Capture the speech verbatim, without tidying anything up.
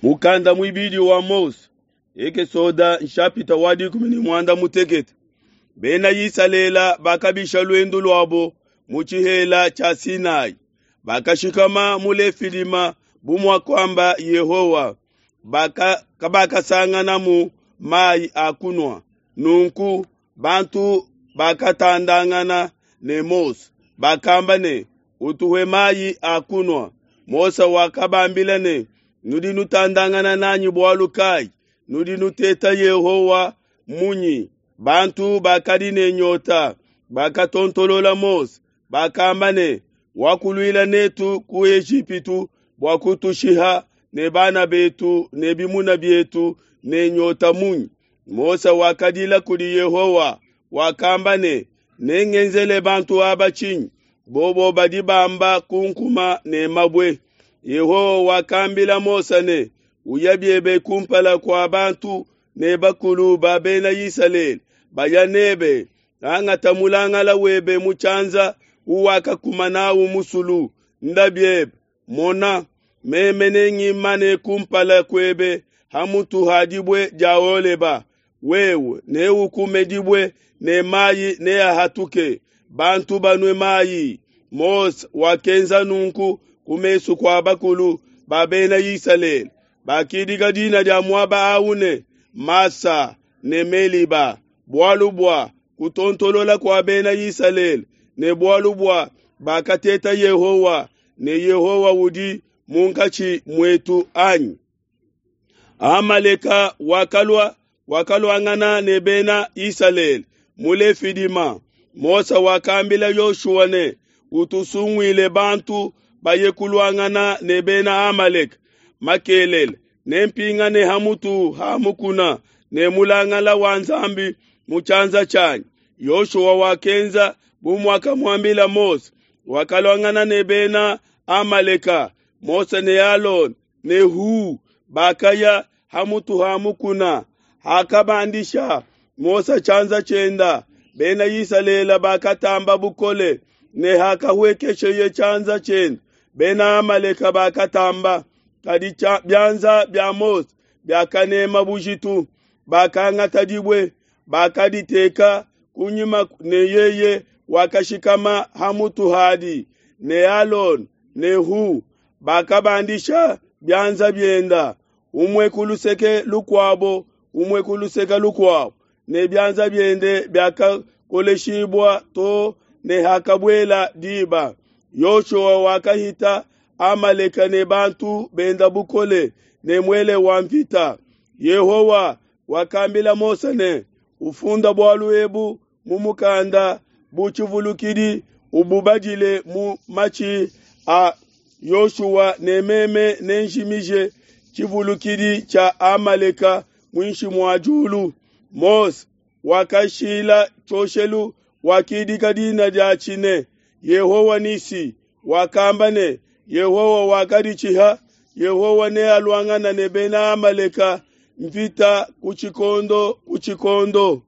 Mukanda muibidi wa Mose, Ekesoda nshapita wa dikumi ne muanda mutekete. Bena Isalele bakabisha luendu luabo mu tshihela tshia Sinai, bakashikama mu Lefidima bu muakamba Yehowa, baka kabakasanganamu mai a kunua. Nunku bantu bakatandangana ne Mose, bakamba ne, "Utuhe mai a kunua." Mose wakabambila ne, "Nudi nutandangana nanyi bualu kai? Nudi nuteta Yehowa munyi?" Bantu bakadi ne nyota bakatontolola Mose, bakamba ne, "Wakuluila netu ku Ejipitu bua kutushiha ne bana betu ne bimuna bietu ne nyota munyi?" Mose wakadila kudi Yehowa, wakamba ne, "Nengenzele bantu aba tshinyi? Bobo badi bamba kunkuma ne mabue." Yehowa wakambila Mose ne, "Uya biebe kumpala kua bantu ne bakulu ba Bena Isalele, baya nebe, angata mulangala webe mu tshianza uwakakuma nawu musulu, nda biebe. Mona, meme nengimane kumpala kuebe ha mutu ha dibue dia Holeba. Wewe neukume dibue ne mayi neahatuke, bantu banue mayi." Mose wakenza nunku ku mesu kua bakulu ba Bena Isalele. Bakidika dina dia muaba awu ne, Masa ne Meliba, bualu bua kutontolola kua Bena Isalele ne bualu bua bakateta Yehowa ne Yehowa udi munkatshi muetu anyi? Amaleka wakalua wakaluangana ne Bena Isalele mu Lefidima. Mose wakambila Yoshua ne, "Utusunguile bantu baye kuluangana ne Bena Amaleka. Makelele nempingane ha mutu ha mukuna ne mulangala wa Nzambi mu tshianza tshianyi." Yoshua wakenza bu muakamuambila Mose, wakaluangana ne Bena Amaleka. Mose ne Alona ne Hu bakaya ha mutu ha mukuna. Hakabandisha Mose tshianza tshienda, Bena Isalele bakatamba bukole, ne hakahuekesheye tshianza tshienda, Bena Amaleka bakatamba. Kadi bianza bia Mose biakanema bujitu. Bakangata dibue, bakaditeka kunyima ne yeye wakashikama ha mutu hadi, ne Alona ne Hu bakabandisha bianza bienda, umue ku luseke lukuabo, umue ku luseke lukuabo, ne bianza biende biakakoleshibua to ne hakabuela diba. Yoshua wakahita Amaleka ne bantu benda bukole ne muele wa mvita. Yehowa wakambila Mose ne, "Ufunda bualu ebu mu mukanda bu tshivulukidi, ububadile mu matshi a Yoshua, ne meme nenjimije tshivulukidi tshia Amaleka muinshi mua diulu." Mose wakashila tshioshelu, wakidika dina diatshi ne, Yehowa Nisi. Wakamba ne, "Yehowa wakaditshiha, Yehowa nealuangane ne Bena Amaleka mvita ku tshikondo ku tshikondo."